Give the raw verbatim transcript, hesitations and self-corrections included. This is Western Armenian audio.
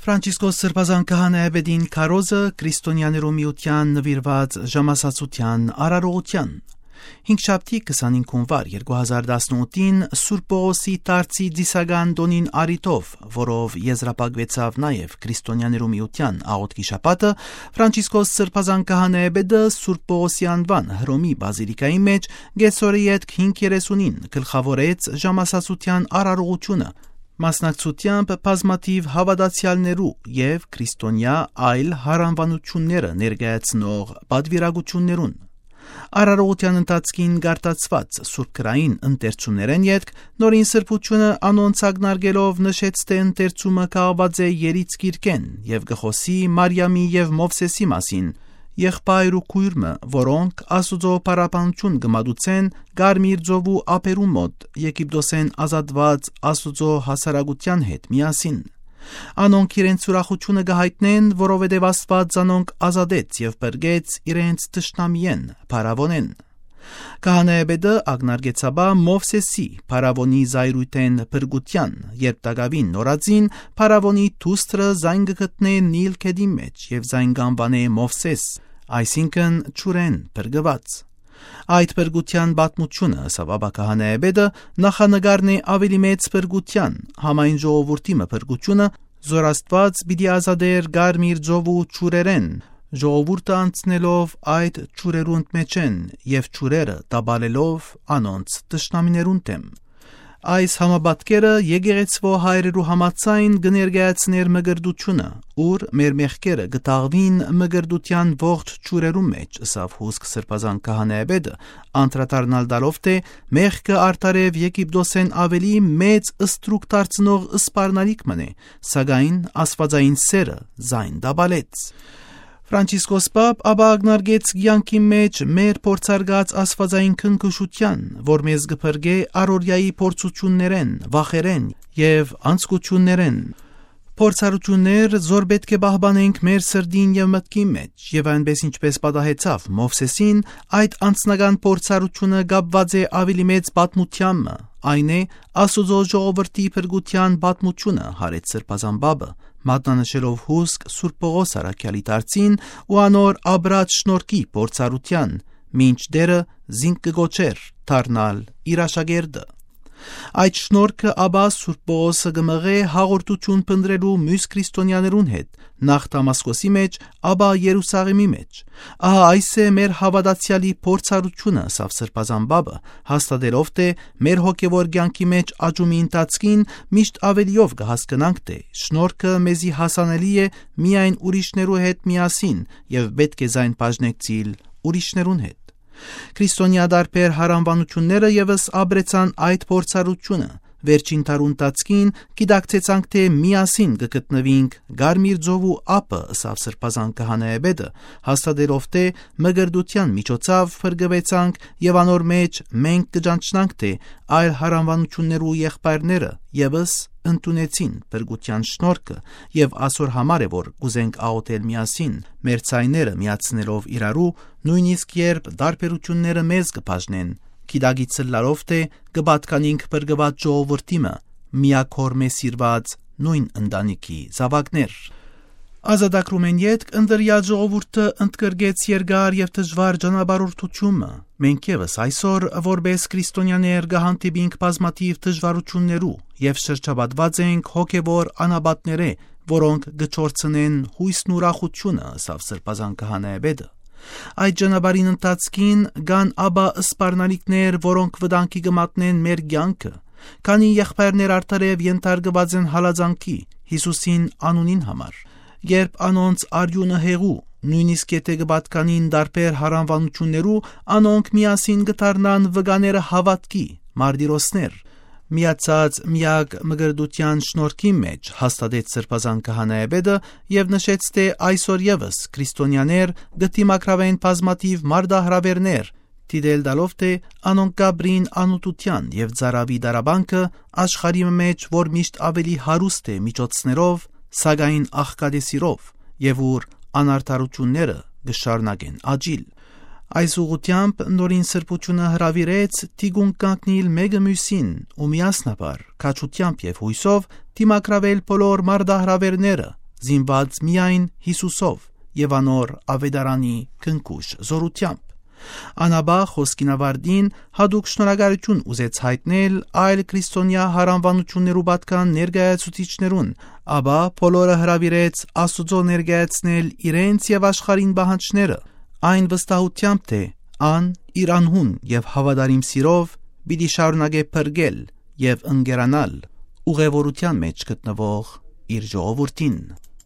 Ֆրանցիսկոս Սրբազան քահանայապետին քարոզը քրիստոնյաներու միութեան նուիրուած ժամասացութեան արարողութեան։ Հինգշաբթի քսանհինգ հունուար երկու հազար տասնութին Սուրբ Պողոսի դարձի ծիսական տօնին առիթով, որով եզրափակուեցաւ նաեւ քրիստոնյաներու միութեան աղօթքի շաբաթը, Ֆրանցիսկոս Սրբազան քահանայապետը Սուրբ Պողոսի անուան Հռոմի բազիլիկայի մէջ կեսօրը ետք հինգ երեսունին գլխաւորեց ժամասացութեան արարողութիւնը, մասնակցությամբ բազմաթիւ հաւատացեալներու եւ քրիստոնեայ այլ յարանուանութիւնները ներկայացնող պատուիրակութիւններուն։ Արարողութեան ընթացքին կատարուած սուրբ գրային ընթերցումներէն ետք Նորին Սրբութիւնը անոնց ակնարկելով նշեց, թէ ընթերցումը կախուած է Երից գիրքէն եւ կը խօսի Մարիամի եւ Մովսէսի մասին, եղբայր ու քոյր մը, որոնք Աստուծոյ փառաբանութիւն կը մատուցեն Կարմիր ծովու ափերու մօտ, Եգիպտոսէն ազատուած Աստուծոյ հասարակութեան հետ միասին։ Անոնք իրենց ուրախութիւնը կը յայտնեն, որովհետեւ Աստուած զանոնք ազատեց եւ փրկեց իրենց թշնամիէն, փարաւոնէն։ Քահանայապետը ակնարկեց ապա Մովսէսի, փարաւոնի զայրույթէն փրկութեան, երբ տակաւին նորածին փարաւոնի դուստրը զայն կը գտնէ Նիլ գետին մէջ եւ զայն կ'անուանէ Մովսէս, այսինքն՝ ջուրէն փրկուած։ Այդ փրկութեան պատմութիւնը, ըսաւ ապա քահանայապետը, նախանկարն է աւելի մեծ փրկութեան, համայն ժողովուրդի մը փրկութիւնը, զոր Աստուած պիտի ազատէր Կարմիր ծովու ջուրերէն, ժողովուրդը անցնելով այդ ջուրերուն մէջէն եւ ջուրերը տապալելով անոնց թշնամիներուն դէմ։ Այս համապատկերը եկեղեցւոյ հայրերու համաձայն կը ներկայացնէր մկրտութիւնը, ուր մեր մեղքերը կը թաղուին մկրտութեան ողջ ջուրերուն մէջ, ըսաւ հուսկ Սրբազան քահանայապետը, անդրադառնալ տալով, թէ մեղքը արդարեւ Եգիպտոսէն աւելի մեծ ստրուկ դարձնող սպառնալիք մըն է, սակայն աստուածային սէրը զայն տապալեց։ Ֆրանցիսկոս Պապ ապա ակնարկեց կեանքի մէջ մեր փորձարկած աստուածային քնքուշութեան, որ մեզ կը փրկէ առօրեայի փորձութիւններէն, վախերէն եւ անձկութիւններէն։ Փորձառութիւններ, զոր պէտք է պահպանենք մեր սրտին եւ մտքին մէջ, եւ այնպէս ինչպէս պատահեցաւ Մովսէսին, այդ անձնական փորձառութիւնը կապուած է աւելի մեծ պատմութեան մը, այն է Աստուծոյ ժողովրդի փրկութեան պատմութիւնը, յարեց Սրբազան Պապը, մատնանշելով հուսկ Սուրբ Պողոս առաքեալի դարձին ու անոր ապրած շնորհքի փորձառութեան, մինչ Տէրը զինք կը կոչէր դառնալ իր աշակերտը։ Այդ շնորհքը ապա Սուրբ Պողոսը կը մղէ հաղորդութիւն փնտռելու միւս քրիստոնեաներուն հետ, նախ Դամասկոսի մէջ, ապա Երուսաղէմի մէջ։ Ահա այս է մեր հաւատացեալի փորձառութիւնը, ըսաւ Սրբազան Պապը, հաստատելով, թէ մեր հոգեւոր կեանքի մէջ աճումի ընթացքին միշտ աւելիով կը հասկնանք, թէ շնորհքը մեզի հասանելի է միայն ուրիշներու հետ միասին եւ պէտք է զայն բաժնեկցիլ ուրիշներուն հետ։ Քրիստոնեայ տարբեր յարանուանութիւնները եւս ապրեցան այդ փորձառութիւնը։ Վերջին դարու ընթացքին գիտակցեցանք, թէ միասին կը գտնուինք Կարմիր ծովու ափը, ըսաւ Սրբազան քահանայապետը, հաստատելով, թէ մկրտութեան միջոցաւ փրկուեցանք եւ անոր մէջ մենք կը ճանչնանք, թէ այլ յարանուանութիւններու եղբայրները եւս ընդունեցին փրկութեան շնորհքը եւ ասոր համար է, որ կ'ուզենք աղօթել միասին, մեր ձայները միացնելով իրարու, նոյնիսկ երբ տարբերութիւնները մեզ կը բաժնեն, գիտակից ըլլալով, թէ կը պատկանինք փրկուած ժողովուրդի մը, միակ Հօրմէ սիրուած նոյն ընտանիքի զաւակներ։ Ազատագրումէն ետք ընտրեալ ժողովուրդը ընդգրկեց երկար եւ դժուար ճանապարհորդութիւնը։ Մենք եւս այսօր, որպէս քրիստոնեաներ, կը հանդիպինք բազմաթիւ դժուարութիւններու եւ շրջապատուած ենք հոգեւոր անապատներէ, որոնք կը չորցնեն յոյսն ու ուրախութիւնը, ըսաւ Սրբազան քահանայապետը։ Այդ ճանապարհին ընթացքին կան ապա սպառնալիքներ, որոնք վտանգի կը մատնեն մեր կեանքը։ Քանի եղբայրներ արդարեւ ենթարկուած են հալածանքի Յիսուսին անունին համար։ Երբ անոնց արիւնը հեղու, նոյնիսկ եթէ կը պատկանին տարբեր յարանուանութիւններու, անոնք միասին կը դառնան վկաները հաւատքի, մարտիրոսներ։ Միացած միակ մկրտութեան շնորհքին մէջ, հաստատեց Սրբազան քահանայապետը եւ նշեց, թէ այսօր եւս քրիստոնեաներ կը դիմագրաւեն բազմաթիւ մարտահրաւէրներ, դիտել տալով, թէ անոնք կ'ապրին անօթութեան եւ ծարաւի դարաբանքը աշխարհի մէջ, որ միշտ աւելի հարուստ է միջոցներով, սակայն աղքատեսիրով, եւ ուր անարդարութիւնները կը շարունակեն աճիլ։ Այս ուղղութեամբ Նորին Սրբութիւնը հրաւիրեց թիկունք կանգնիլ մէկը միւսին ու միասնաբար, քաջութեամբ եւ յոյսով դիմագրաւել բոլոր մարտահրաւէրները, զինուած միայն Յիսուսով եւ անոր աւետարանի քնքուշ զօրութեամբ։ Ան ապա խօսքին աւարտին յատուկ շնորհակալութիւն ուզեց յայտնել այլ քրիստոնեայ յարանուանութիւններու պատկան ներկայացուցիչներուն, ապա բոլորը հրաւիրեց Աստուծոյ ներկայացնել իրենց եւ աշխարհին պահանջները, այն վստահութեամբ թէ ան իր անհուն եւ հաւատարիմ սիրով պիտի շարունակէ փրկել եւ ընկերանալ ուղեւորութեան մէջ գտնուող իր ժողովուրդին։